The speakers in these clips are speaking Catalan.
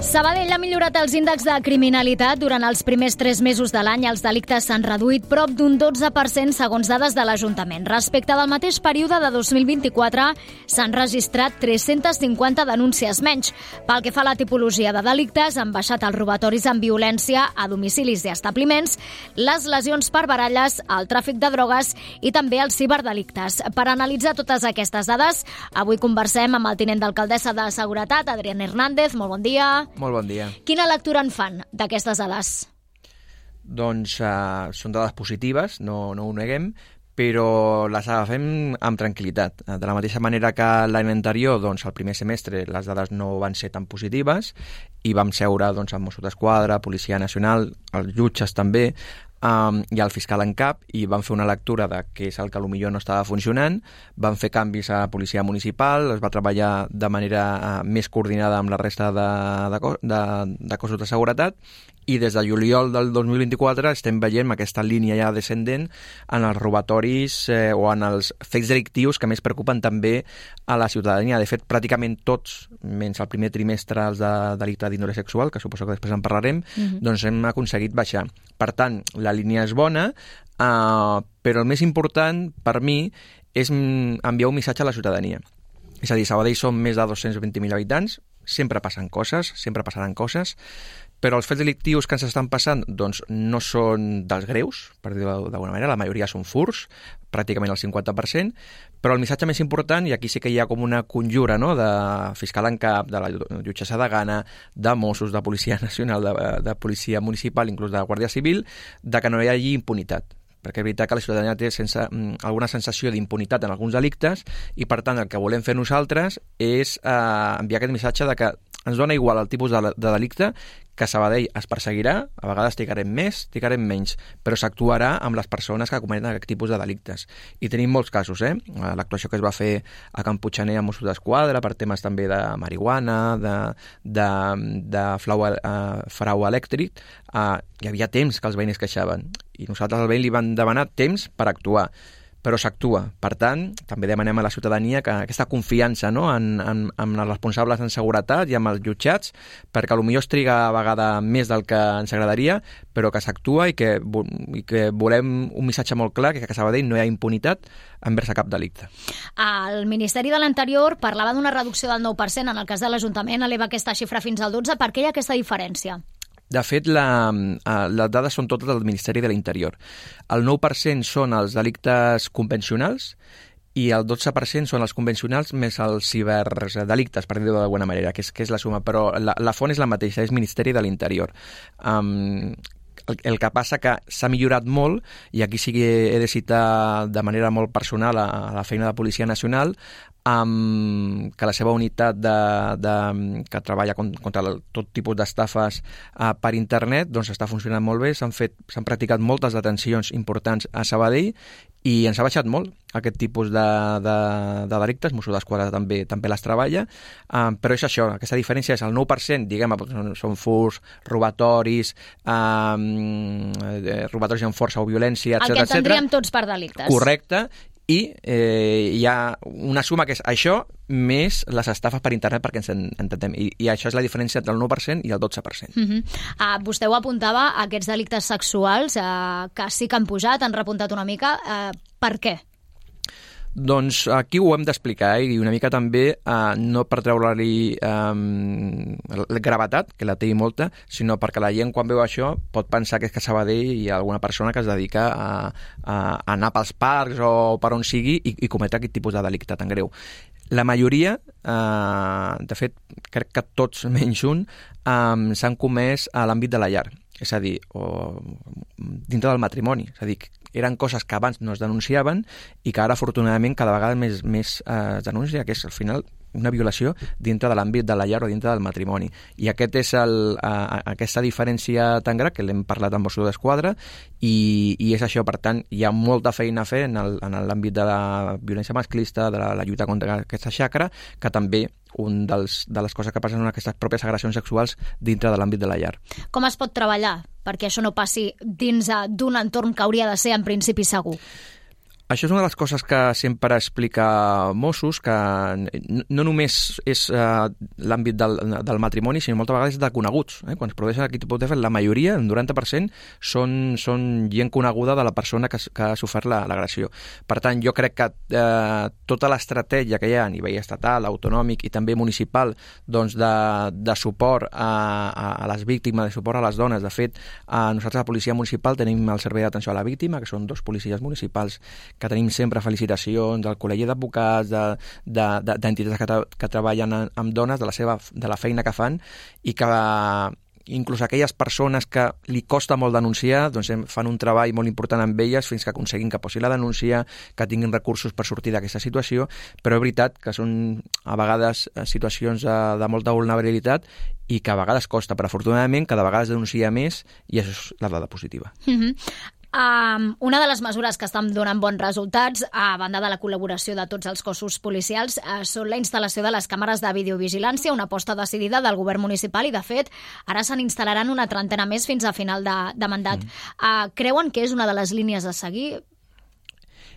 Sabadell ha millorat els índexs de criminalitat. Durant els primers 3 mesos de l'any, els delictes s'han reduït prop d'un 12% segons dades de l'Ajuntament. Respecte del mateix període de 2024, s'han registrat 350 denúncies menys. Pel que fa a la tipologia de delictes, han baixat els robatoris amb violència a domicilis i establiments, les lesions per baralles, el tràfic de drogues i també els ciberdelictes. Per analitzar totes aquestes dades, avui conversem amb el tinent d'alcaldessa de Seguretat, Adrián Hernández. Molt bon dia. Molt bon dia. Quina lectura en fan d'aquestes dades? Doncs són dades positives, no ho neguem, però les agafem amb tranquil·litat. De la mateixa manera que l'any anterior, doncs, el primer semestre, les dades no van ser tan positives i vam seure doncs, amb Mossos d'Esquadra, Policia Nacional, els jutges també, i el fiscal en cap, i van fer una lectura de què és el que potser no estava funcionant, van fer canvis a la policia municipal, es va treballar de manera més coordinada amb la resta de cossos de seguretat, i des de juliol del 2024 estem veient aquesta línia ja descendent en els robatoris o en els fets delictius que més preocupen també a la ciutadania. De fet, pràcticament tots, menys el primer trimestre els de delicte d'índole sexual, que suposo que després en parlarem, doncs hem aconseguit baixar. Per tant, la línia és bona, però el més important per mi és enviar un missatge a la ciutadania. És a dir, Sabadell som més de 220.000 habitants, sempre passen coses, sempre passaran coses, però els fets delictius que ens estan passant doncs, no són dels greus, per dir-ho d'alguna manera, la majoria són furts, pràcticament el 50%, però el missatge més important, i aquí sí que hi ha com una conjura, no?, de fiscal en cap, de la jutgessa de Gana, de Mossos, de Policia Nacional, de Policia Municipal, inclús de Guàrdia Civil, de que no hi hagi impunitat. Perquè és veritat que la ciutadania té alguna sensació d'impunitat en alguns delictes i, per tant, el que volem fer nosaltres és enviar aquest missatge de que ens dona igual el tipus de delicte, que a Sabadell es perseguirà, a vegades trigarem més, trigarem menys, però s'actuarà amb les persones que cometen aquest tipus de delictes. I tenim molts casos, l'actuació que es va fer a Can Puiggener amb Mossos d'Esquadra per temes també de marihuana, de frau elèctric, hi havia temps que els veïns queixaven i nosaltres al veí li vam demanar temps per actuar, però s'actua. Per tant, també demanem a la ciutadania que aquesta confiança, no?, en els responsables en seguretat i amb els jutjats, perquè potser es triga a vegada més del que ens agradaria, però que s'actua i que volem un missatge molt clar, que a Sabadell no hi ha impunitat envers cap delicte. El Ministeri de l'Interior parlava d'una reducció del 9%, en el cas de l'Ajuntament eleva aquesta xifra fins al 12%. Per què hi ha aquesta diferència? De fet, les dades són totes del Ministeri de l'Interior. El 9% són els delictes convencionals i el 12% són els convencionals més els ciberdelictes, per dir-ho d'alguna manera, que és la suma, però la font és la mateixa, és Ministeri de l'Interior. El que passa que s'ha millorat molt, i aquí sí que he de citar de manera molt personal a la feina de Policia Nacional, que la seva unitat que treballa contra tot tipus d'estafes per internet doncs està funcionant molt bé, s'han practicat moltes detencions importants a Sabadell i ens ha baixat molt aquest tipus de delictes. Mossos d'Esquadra també les treballa, però és això, aquesta diferència és el 9%, diguem, són furts, robatoris, robatoris amb força o violència, etc. El que entendríem tots per delictes. Correcte. I hi ha una suma que és això més les estafes per internet, perquè ens entenem. I això és la diferència entre el 9% i el 12%. Vostè ho apuntava, aquests delictes sexuals que sí que han pujat, han repuntat una mica. Per què? Doncs aquí ho hem d'explicar, i una mica també no per treure-li gravetat, que la té molta, sinó perquè la gent quan veu això pot pensar que és que a Sabadell hi ha alguna persona que es dedica a anar pels parcs o per on sigui i cometre aquest tipus de delicte tan greu. La majoria, de fet, crec que tots menys un, s'han comès a l'àmbit de la llar, és a dir, o dintre del matrimoni, és a dir, eren coses que abans no es denunciaven i que ara, afortunadament, cada vegada més es denuncia, que és, al final, una violació dintre de l'àmbit de la llar o dintre del matrimoni. I aquesta diferència tan gran, que l'hem parlat amb Mossos d'Esquadra, i és això. Per tant, hi ha molta feina a fer en l'àmbit de la violència masclista, de la lluita contra aquesta xacra, que també de les coses que passen són aquestes pròpies agressions sexuals dintre de l'àmbit de la llar. Com es pot treballar perquè això no passi dins d'un entorn que hauria de ser en principi segur? Això és una de les coses que sempre explica Mossos, que no només és l'àmbit del matrimoni, sinó moltes vegades de coneguts. Quan es produeixen aquest tipus de fet, la majoria, el 90%, són gent coneguda de la persona que ha sofert l'agressió. Per tant, jo crec que tota l'estratègia que hi ha a nivell estatal, autonòmic i també municipal, doncs de suport a les víctimes, de suport a les dones. De fet, nosaltres a la policia municipal tenim el servei d'atenció a la víctima, que són 2 policies municipals que tenim sempre felicitacions del col·legi d'advocats, d'entitats que treballen amb dones, de la feina que fan, i que inclús aquelles persones que li costa molt denunciar, doncs fan un treball molt important amb elles fins que aconseguin que posi la denúncia, que tinguin recursos per sortir d'aquesta situació, però és veritat que són a vegades situacions de molta vulnerabilitat i que a vegades costa, però afortunadament cada vegada es denuncia més i això és la dada positiva. Una de les mesures que estan donant bons resultats, a banda de la col·laboració de tots els cossos policials, són la instal·lació de les càmeres de videovigilància, una aposta decidida del govern municipal i, de fet, ara se n'instal·laran una trentena més fins a final de mandat. Creuen que és una de les línies a seguir?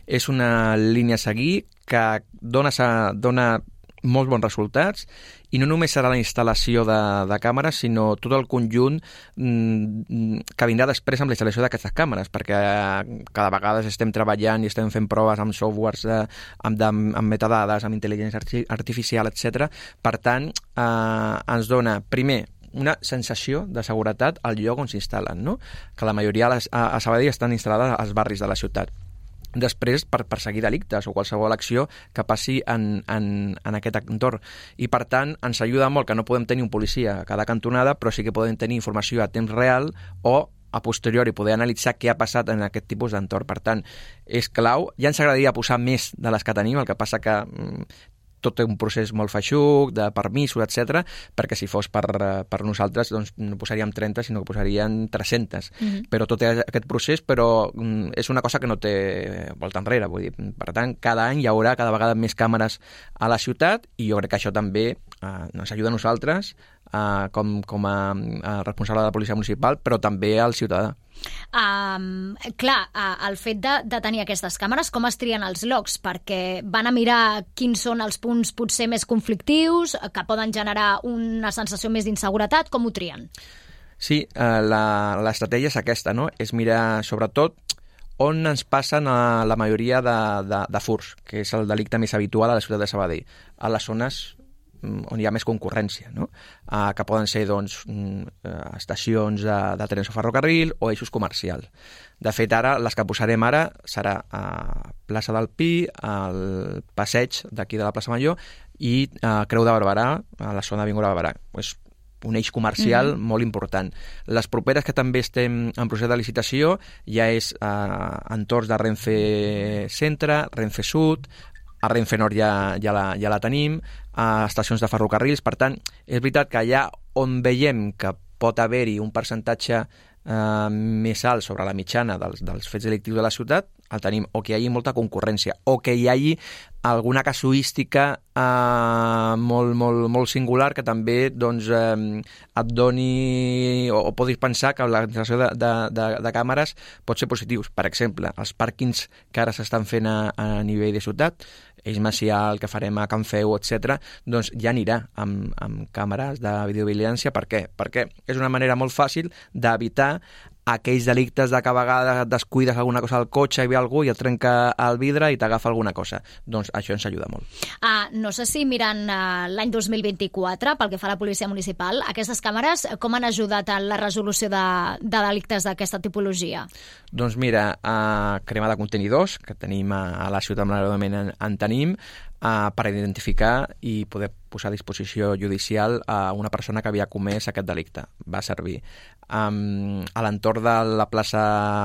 És una línia a seguir que dona molts bons resultats, i no només serà la instal·lació de càmeres, sinó tot el conjunt que vindrà després amb la instal·lació d'aquestes càmeres, perquè cada vegada estem treballant i estem fent proves amb softwares, amb metadades, amb intel·ligència artificial, etc. Per tant, ens dona, primer, una sensació de seguretat al lloc on s'instal·len, no? Que la majoria a Sabadell estan instal·lades als barris de la ciutat. Després, per perseguir delictes o qualsevol acció que passi en aquest entorn. I, per tant, ens ajuda molt que no podem tenir un policia a cada cantonada, però sí que podem tenir informació a temps real o a posteriori poder analitzar què ha passat en aquest tipus d'entorn. Per tant, és clau. Ja ens agradaria posar més de les que tenim, el que passa que tot té un procés molt feixuc, de permisos, etc, perquè si fos per nosaltres doncs no posaríem 30, sinó que posaríem 300. Però tot té aquest procés, però és una cosa que no té volta enrere. Vull dir, per tant, cada any hi haurà cada vegada més càmeres a la ciutat i jo crec que això també ens ajuda a nosaltres com a responsable de la policia municipal, però també al ciutadà. El fet de tenir aquestes càmeres, com es trien els llocs? Perquè van a mirar quins són els punts potser més conflictius, que poden generar una sensació més d'inseguretat. Com ho trien? Sí, l'estratègia és aquesta, no? És mirar, sobretot, on ens passen la majoria de furts, que és el delicte més habitual a la ciutat de Sabadell, a les zones on hi ha més concurrència, no? Que poden ser doncs, estacions de trens o ferrocarril o eixos comercials. De fet, ara les que posarem ara serà a plaça del Pi, al passeig d'aquí de la plaça Major i a Creu de Barberà, a la zona d'Avinguda Barberà. És un eix comercial molt important. Les properes que també estem en procés de licitació ja és entorns de Renfe Centre, Renfe Sud, a Renfe Nord ja la tenim, a estacions de ferrocarrils. Per tant, és veritat que allà on veiem que pot haver-hi un percentatge més alt sobre la mitjana dels fets delictius de la ciutat, el tenim, o que hi hagi molta concurrència, o que hi hagi alguna casuística molt singular que també doncs, et doni o podis pensar que la instal·lació de càmeres pot ser positius. Per exemple, els pàrquings que ara s'estan fent a nivell de ciutat, Eix Macià, el que farem a Can Feu, etc., doncs ja anirà amb càmeres de videovigilància. Per què? Perquè és una manera molt fàcil d'evitar aquells delictes de que a vegades et descuides alguna cosa al cotxe i ve algú i et trenca el vidre i t'agafa alguna cosa. Doncs això ens ajuda molt. No sé si mirant l'any 2024, pel que fa a la policia municipal, aquestes càmeres com han ajudat en la resolució de delictes d'aquesta tipologia? Doncs mira, crema de contenidors, que tenim a la ciutat, malauradament en tenim, per identificar i poder posar a disposició judicial a una persona que havia comès aquest delicte. Va servir. A l'entorn de la plaça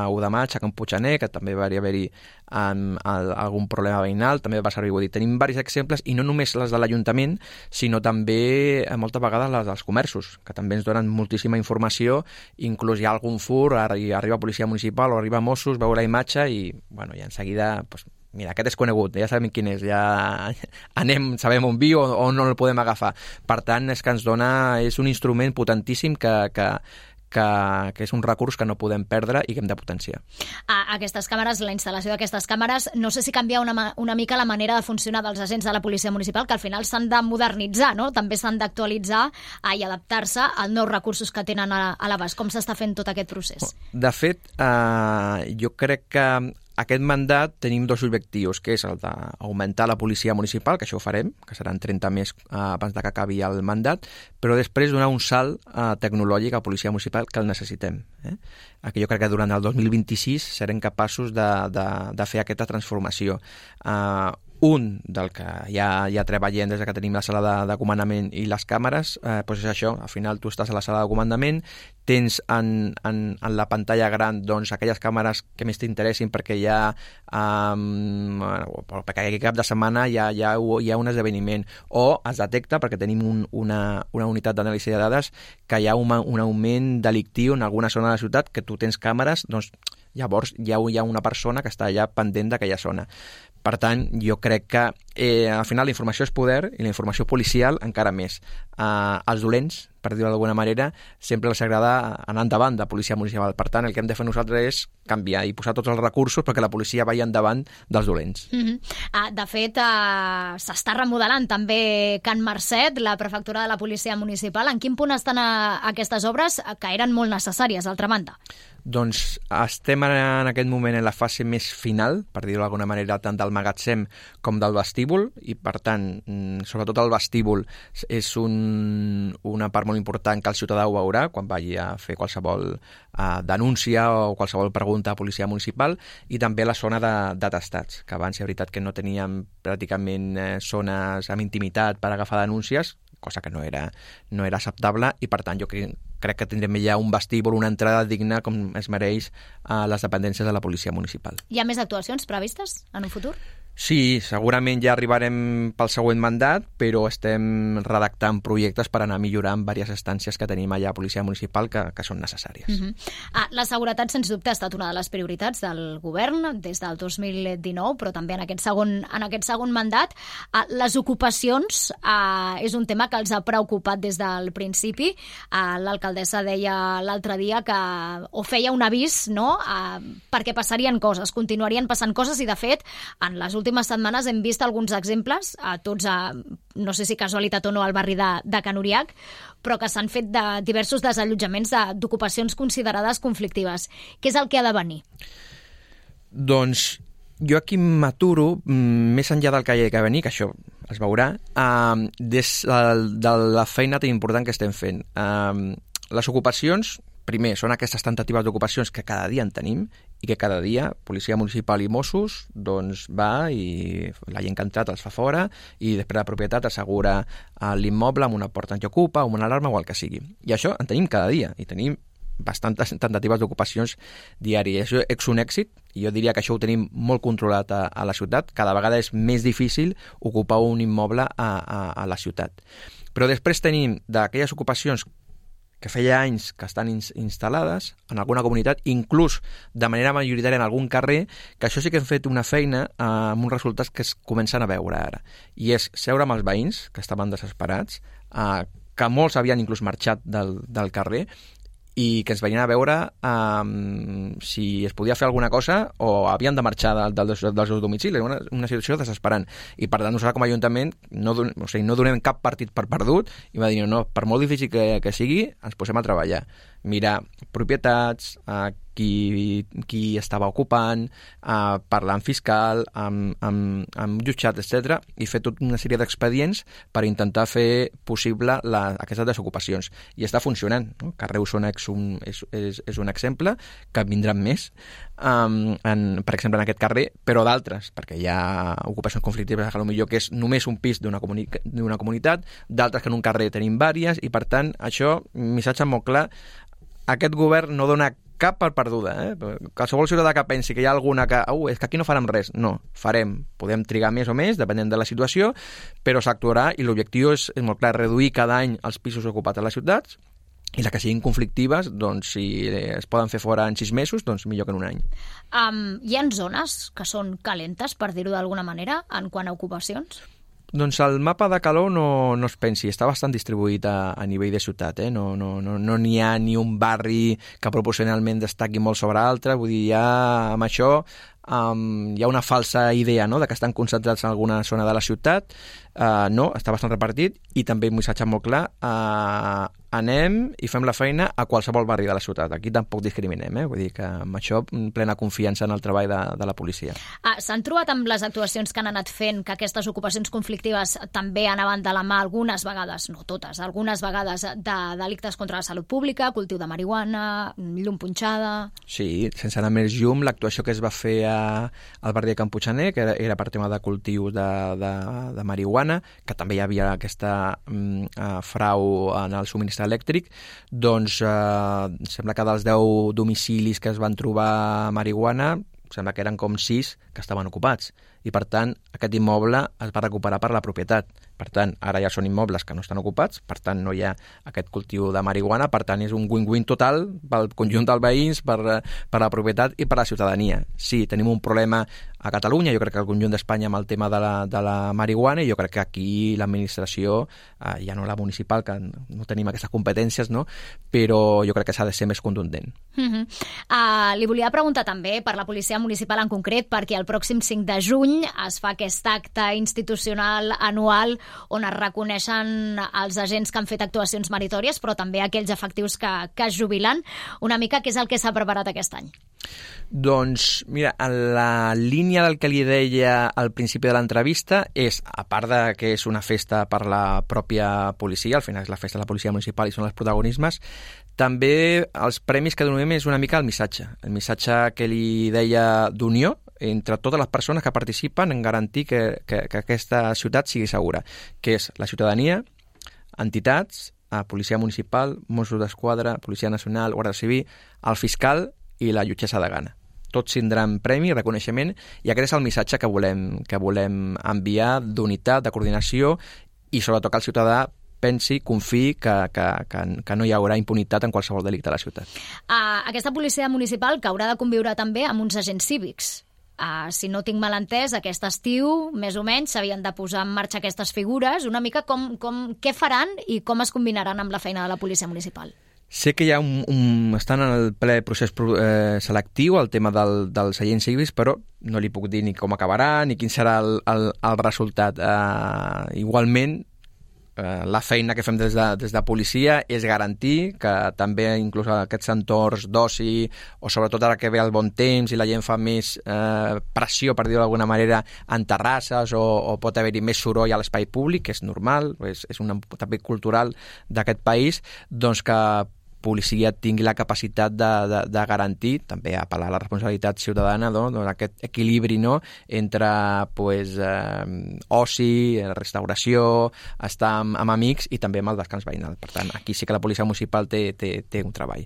1 de Maig, a Can Puiggener, que també va haver-hi algun problema veïnal, també va servir. Vull dir, tenim diversos exemples, i no només les de l'Ajuntament, sinó també moltes vegades les dels comerços, que també ens donen moltíssima informació. Inclús hi ha algun furt, arriba policia municipal o arriba Mossos, veu la imatge i bueno, ja en seguida... Mira, aquest és conegut, ja sabem quin és, ja sabem on viu o no el podem agafar. Per tant, és que ens dona, és un instrument potentíssim que que és un recurs que no podem perdre i que hem de potenciar. Aquestes càmeres, la instal·lació d'aquestes càmeres, no sé si canvia una mica la manera de funcionar dels agents de la policia municipal, que al final s'han de modernitzar, no? També s'han d'actualitzar i adaptar-se als nous recursos que tenen a l'abast. Com s'està fent tot aquest procés? De fet, jo crec que aquest mandat tenim dos objectius, que és el d'augmentar la policia municipal, que això ho farem, que seran 30 més abans que acabi el mandat, però després donar un salt tecnològic a la policia municipal que el necessitem. Aquí jo crec que durant el 2026 serem capaços de fer aquesta transformació. Un del que ja treballem des que tenim la sala de comandament i les càmeres, doncs és això, al final tu estàs a la sala de comandament, tens en la pantalla gran doncs, aquelles càmeres que més t'interessin perquè perquè aquest cap de setmana hi ha un esdeveniment, o es detecta perquè tenim una unitat d'anàlisi de dades que hi ha un augment delictiu en alguna zona de la ciutat que tu tens càmeres, doncs llavors hi ha una persona que està allà pendent d'aquella zona. Per tant, jo crec que al final la informació és poder i la informació policial encara més. Els dolents, per dir-ho d'alguna manera, sempre els agrada anar endavant de policia municipal. Per tant, el que hem de fer nosaltres és canviar i posar tots els recursos perquè la policia vagi endavant dels dolents. De fet, s'està remodelant també Can Marcet, la prefectura de la policia municipal. En quin punt estan aquestes obres que eren molt necessàries, d'altra banda? Doncs estem en aquest moment en la fase més final, per dir-ho d'alguna manera, tant del magatzem com del vestíbul, i per tant, sobretot el vestíbul és una part molt important que el ciutadà ho veurà quan vagi a fer qualsevol denúncia o qualsevol pregunta a policia municipal, i també la zona de testats, que abans és veritat que no teníem pràcticament zones amb intimitat per agafar denúncies, cosa que no era acceptable, i per tant jo crec que tindrem ja un vestíbul, una entrada digna com es mereix a les dependències de la policia municipal. Hi ha més actuacions previstes en un futur? Sí, segurament ja arribarem pel següent mandat, però estem redactant projectes per anar millorant diverses estàncies que tenim allà a Policia Municipal que són necessàries. La seguretat, sens dubte, ha estat una de les prioritats del govern des del 2019, però també en aquest segon mandat. Les ocupacions és un tema que els ha preocupat des del principi. L'alcaldessa deia l'altre dia que feia un avís, no?, perquè passarien coses, continuarien passant coses, i de fet, en les últimes setmanes hem vist alguns exemples, no sé si casualitat o no, al barri de Can Uriac, però que s'han fet de diversos desallotjaments d'ocupacions considerades conflictives. Què és el que ha de venir? Doncs jo aquí m'aturo, més enllà del que hi ha de venir, que això es veurà, des de la feina tan important que estem fent. Les ocupacions, primer, són aquestes tentatives d'ocupacions que cada dia en tenim i que cada dia Policia Municipal i Mossos doncs va i la gent que ha entrat els fa fora i després la propietat assegura l'immoble amb una porta antiocupa, amb una alarma o el que sigui. I això en tenim cada dia i tenim bastantes tentatives d'ocupacions diàries. Això és un èxit i jo diria que això ho tenim molt controlat a la ciutat. Cada vegada és més difícil ocupar un immoble a la ciutat. Però després tenim d'aquelles ocupacions que feia anys que estan instal·lades en alguna comunitat, inclús de manera majoritària en algun carrer, que això sí que hem fet una feina amb uns resultats que es comencen a veure ara. I és seure amb els veïns, que estaven desesperats, que molts havien inclús marxat del carrer, i que ens venien a veure si es podia fer alguna cosa o havien de marxar dels seus domicilis. Una situació desesperant. I per tant, nosaltres com a Ajuntament no donem cap partit per perdut i va dir, no, per molt difícil que sigui, ens posem a treballar. Mirar propietats, qui estava ocupant, parlar amb fiscal, amb jutjat, etc., i fer tota una sèrie d'expedients per intentar fer possible aquestes desocupacions. I està funcionant. No? Carrer Osona és un exemple, que en vindran més, per exemple, en aquest carrer, però d'altres, perquè hi ha ocupacions conflictives, potser que és només un pis d'una comunitat, d'altres que en un carrer tenim vàries, i per tant, això, missatge molt clar, aquest govern no dona cap per perduda. Qualsevol ciutadà que pensi que hi ha alguna que és que aquí no farem res. No, farem. Podem trigar més o més, depenent de la situació, però s'actuarà i l'objectiu és molt clar, reduir cada any els pisos ocupats a les ciutats i les que siguin conflictives, doncs si es poden fer fora en 6 mesos, doncs millor que en un any. Hi ha zones que són calentes, per dir-ho d'alguna manera, en quant a ocupacions? Doncs el mapa de calor no es pensi, està bastant distribuït a nivell de ciutat, no n'hi ha ni un barri que proporcionalment destaqui molt sobre altre, vull dir, amb això hi ha una falsa idea, no?, de que estan concentrats en alguna zona de la ciutat. No, està bastant repartit, i també un missatge molt clar, anem i fem la feina a qualsevol barri de la ciutat. Aquí tampoc discriminem, vull dir que amb això plena confiança en el treball de la policia. S'han trobat amb les actuacions que han anat fent que aquestes ocupacions conflictives també anaven de la mà algunes vegades, no totes, algunes vegades de delictes contra la salut pública, cultiu de marihuana, llum punxada... Sí, sense anar més llum, l'actuació que es va fer al barri de Can Puiggener, que era per tema de cultius de marihuana, que també hi havia aquesta frau en el subministrament elèctric, doncs sembla que dels 10 domicilis que es van trobar marihuana, sembla que eren com 6 que estaven ocupats, i per tant aquest immoble es va recuperar per la propietat. Per tant, ara ja són immobles que no estan ocupats, per tant no hi ha aquest cultiu de marihuana, per tant és un win-win total pel conjunt dels veïns, per la propietat i per la ciutadania. Sí, tenim un problema a Catalunya, jo crec que al conjunt d'Espanya amb el tema de la marihuana, i jo crec que aquí l'administració, ja no la municipal, que no tenim aquestes competències, no?, però jo crec que s'ha de ser més contundent. Li volia preguntar també per la policia municipal en concret, perquè el pròxim 5 de juny es fa aquest acte institucional anual on es reconeixen els agents que han fet actuacions meritòries, però també aquells efectius que es jubilen. Una mica, què és el que s'ha preparat aquest any? Doncs, mira, la línia del que li deia al principi de l'entrevista és, a part de que és una festa per la pròpia policia, al final és la festa de la policia municipal i són els protagonismes, també els premis que donem és una mica el missatge que li deia d'unió entre totes les persones que participen en garantir que aquesta ciutat sigui segura, que és la ciutadania, entitats, policia municipal, Mossos d'Esquadra, Policia Nacional, Guàrdia Civil, el fiscal i la jutgessa de Gana. Tots tindran premi, reconeixement, i aquest és el missatge que volem enviar d'unitat, de coordinació, i sobretot que el ciutadà pensi, confiï que no hi haurà impunitat en qualsevol delicte a la ciutat. Aquesta policia municipal que haurà de conviure també amb uns agents cívics. Si no tinc mal entès, aquest estiu, més o menys, s'havien de posar en marxa aquestes figures. Una mica què faran i com es combinaran amb la feina de la policia municipal? Sé que hi ha estan en el ple procés selectiu el tema dels agents cívics, però no li puc dir ni com acabarà ni quin serà el resultat. Igualment, la feina que fem des de policia és garantir que també inclús aquests entorns d'oci, o sobretot ara que ve el bon temps i la gent fa més pressió, per dir-ho d'alguna manera, en terrasses, o pot haver-hi més soroll a l'espai públic, que és normal, és un també cultural d'aquest país, doncs que policia tingui la capacitat de garantir, també apel·lar a la responsabilitat ciutadana, aquest equilibri, no?, entre oci, restauració, estar amb amics i també amb el descans veïnal. Per tant, aquí sí que la policia municipal té un treball.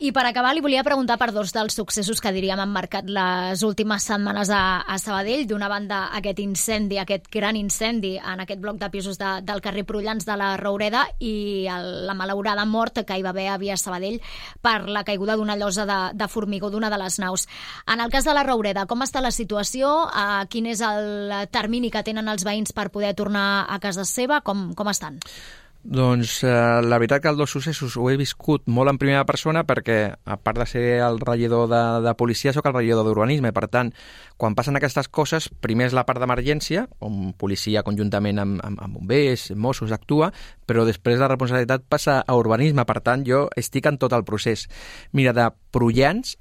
I per acabar li volia preguntar per dos dels successos que diríem han marcat les últimes setmanes a Sabadell. D'una banda, aquest gran incendi en aquest bloc de pisos del carrer Prullans de la Roureda, i la malaurada mort que hi va haver a Via Sabadell per la caiguda d'una llosa de formigó d'una de les naus. En el cas de la Roureda, com està la situació? Quin és el termini que tenen els veïns per poder tornar a casa seva? Com estan? Doncs la veritat que els dos successos ho he viscut molt en primera persona, perquè a part de ser el regidor de policia soc el regidor d'urbanisme. Per tant, quan passen aquestes coses, primer és la part d'emergència, on policia conjuntament amb bombers, Mossos actua, però després la responsabilitat passa a urbanisme. Per tant, jo estic en tot el procés. Mira, de Prullans,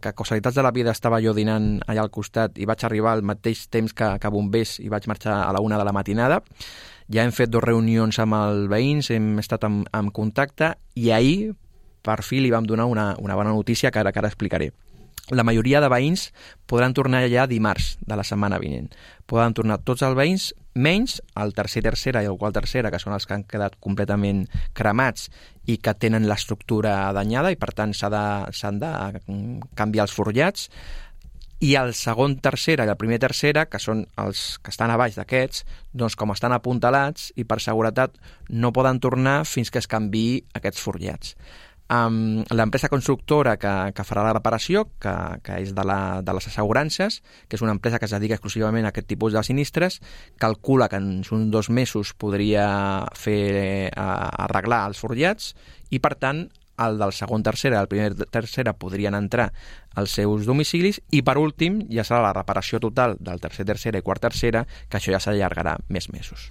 que casualitats de la vida estava jo dinant allà al costat i vaig arribar al mateix temps que bombers i vaig marxar a la 1 de la matinada. Ja hem fet 2 reunions amb els veïns, hem estat en contacte, i ahir, per fi, li vam donar una bona notícia que ara explicaré. La majoria de veïns podran tornar ja dimarts de la setmana vinent. Poden tornar tots els veïns, menys el tercera i el quart tercera, que són els que han quedat completament cremats i que tenen l'estructura danyada, i per tant s'han de canviar els forjats. I el segon tercera i el primer tercera, que són els que estan a baix d'aquests, doncs com estan apuntalats i per seguretat no poden tornar fins que es canviï aquests forjats. l'empresa constructora que farà la reparació, que és de les assegurances, que és una empresa que es dedica exclusivament a aquest tipus de sinistres, calcula que en uns 2 mesos podria arreglar els forjats i, per tant, el del segon tercera i el primer tercera podrien entrar als seus domicilis i, per últim, ja serà la reparació total del tercera i quart tercera, que això ja s'allargarà més mesos.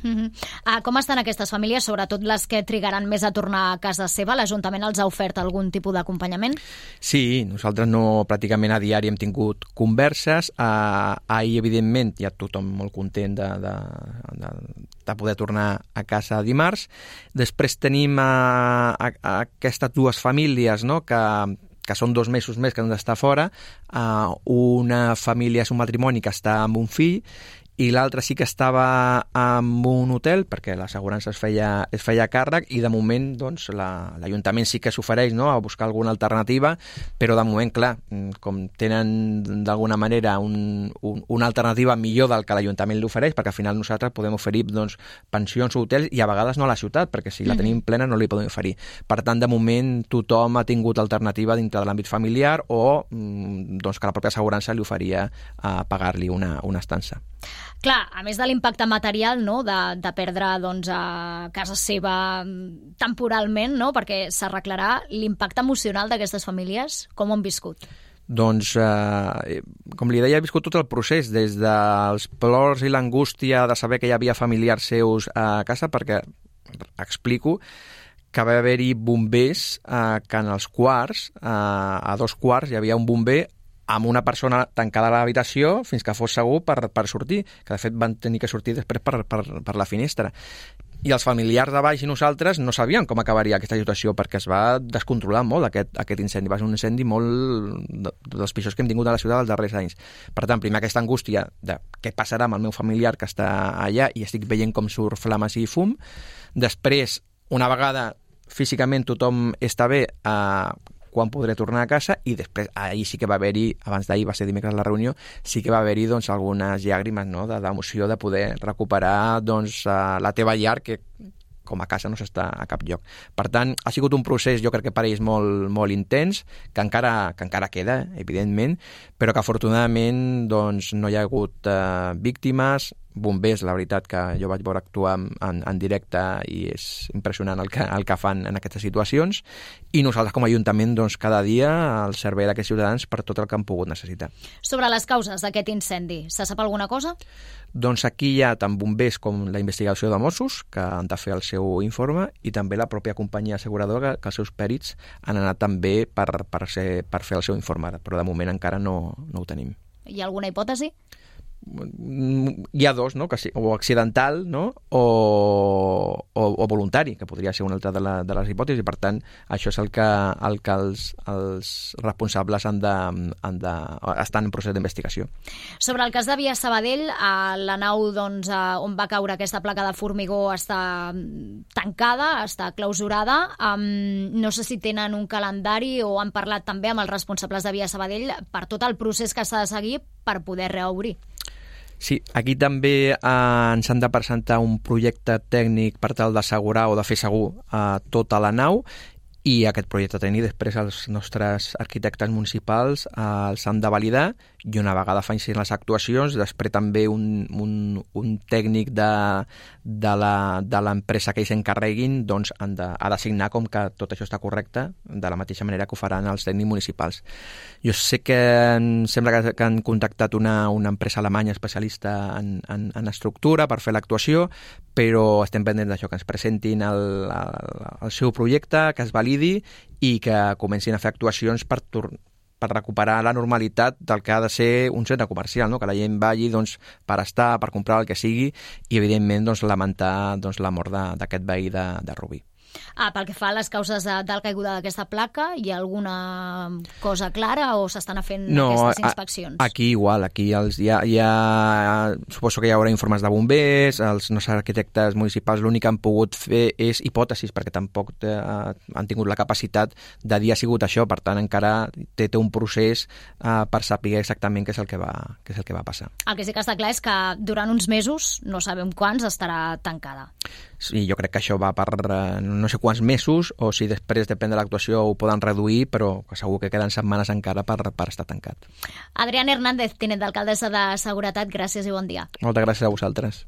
Com estan aquestes famílies, sobretot les que trigaran més a tornar a casa seva? L'Ajuntament els ha ofert algun tipus d'acompanyament? Sí, nosaltres pràcticament a diari hem tingut converses. Ahir, evidentment, hi ha tothom molt content de poder tornar a casa dimarts. Després tenim aquestes 2 famílies, no?, que són 2 mesos més que han d'estar fora. Una família és un matrimoni que està amb un fill i l'altre sí que estava en un hotel perquè l'assegurança es feia càrrec i de moment doncs, l'Ajuntament sí que s'ofereix, no?, a buscar alguna alternativa, però de moment, clar, com tenen d'alguna manera una alternativa millor del que l'Ajuntament li ofereix, perquè al final nosaltres podem oferir doncs, pensions o hotels i a vegades no a la ciutat, perquè si la tenim plena no li podem oferir. Per tant, de moment tothom ha tingut alternativa dintre de l'àmbit familiar o doncs, que la pròpia assegurança li oferia pagar-li una estança. Clar, a més de l'impacte material, no?, de perdre doncs, a casa seva temporalment, no?, perquè s'arreglarà, l'impacte emocional d'aquestes famílies, com ho han viscut? Doncs, com li deia, he viscut tot el procés, des dels plors i l'angústia de saber que hi havia familiars seus a casa, perquè, explico, que va haver-hi bombers que en els quarts, a 2 quarts, hi havia un bomber amb una persona tancada a l'habitació fins que fos segur per sortir, que de fet van tenir que sortir després per la finestra. I els familiars de baix i nosaltres no sabien com acabaria aquesta situació perquè es va descontrolar molt aquest incendi. Va ser un incendi molt dels pitjors que hem tingut a la ciutat dels darrers anys. Per tant, primer aquesta angústia de què passarà amb el meu familiar que està allà i estic veient com surt flames i fum. Després, una vegada físicament tothom està bé, quan podré tornar a casa, i després ahir sí que va haver-hi, abans d'ahir va ser dimecres la reunió, sí que va haver-hi doncs, algunes llàgrimes, no?, d'emoció de poder recuperar doncs, la teva llar, que com a casa no s'està a cap lloc. Per tant, ha sigut un procés, jo crec que per ells molt, molt intens, que encara queda, evidentment, però que afortunadament doncs, no hi ha hagut víctimes. Bombers, la veritat que jo vaig veure actuar en directe i és impressionant el que fan en aquestes situacions, i nosaltres com a Ajuntament doncs, cada dia al servei d'aquests ciutadans per tot el que han pogut necessitar. Sobre les causes d'aquest incendi, se sap alguna cosa? Doncs aquí hi ha tant bombers com la investigació de Mossos, que han de fer el seu informe, i també la pròpia companyia asseguradora, que els seus pèrits han anat també per fer el seu informe, però de moment encara no ho tenim. Hi ha alguna hipòtesi? Hi ha 2, no?, que o accidental, no?, o voluntari, que podria ser una altra de les hipòtesis, i per tant això és el que els responsables estan en procés d'investigació. Sobre el cas de Via Sabadell, la nau doncs, on va caure aquesta placa de formigó està tancada, està clausurada. No sé si tenen un calendari o han parlat també amb els responsables de Via Sabadell per tot el procés que s'ha de seguir per poder reobrir. Sí, aquí també ens han de presentar un projecte tècnic per tal d'assegurar o de fer segur tota la nau, i aquest projecte tècnic després els nostres arquitectes municipals els han de validar, i una vegada facin les actuacions, després també un tècnic de l'empresa que ells s'encarreguin doncs ha de signar com que tot això està correcte, de la mateixa manera que ho faran els tècnics municipals. Jo sé que em sembla que han contactat una empresa alemanya especialista en estructura per fer l'actuació, però estem pendents d'això, que ens presentin el seu projecte, que es validi i que comencin a fer actuacions per recuperar la normalitat del que ha de ser un centre comercial, no?, que la gent vagi doncs, per estar, per comprar el que sigui, i evidentment doncs, lamentar doncs, la mort d'aquest veí de Rubí. Pel que fa a les causes de la caiguda d'aquesta placa, hi ha alguna cosa clara o s'estan fent aquestes inspeccions? Aquí igual, aquí suposo que hi haurà informes de bombers, els nostres arquitectes municipals l'únic que han pogut fer és hipòtesis, perquè tampoc han tingut la capacitat de dir ha sigut això, per tant encara té un procés per saber exactament què és el que va passar. El que sí que està clar és que durant uns mesos, no sabem quants, estarà tancada. i jo crec que això va per no sé quants mesos, o si després, depèn de l'actuació, ho poden reduir, però segur que queden setmanes encara per estar tancat. Adrián Hernández, tinent d'alcaldessa de Seguretat, gràcies i bon dia. Moltes gràcies a vosaltres.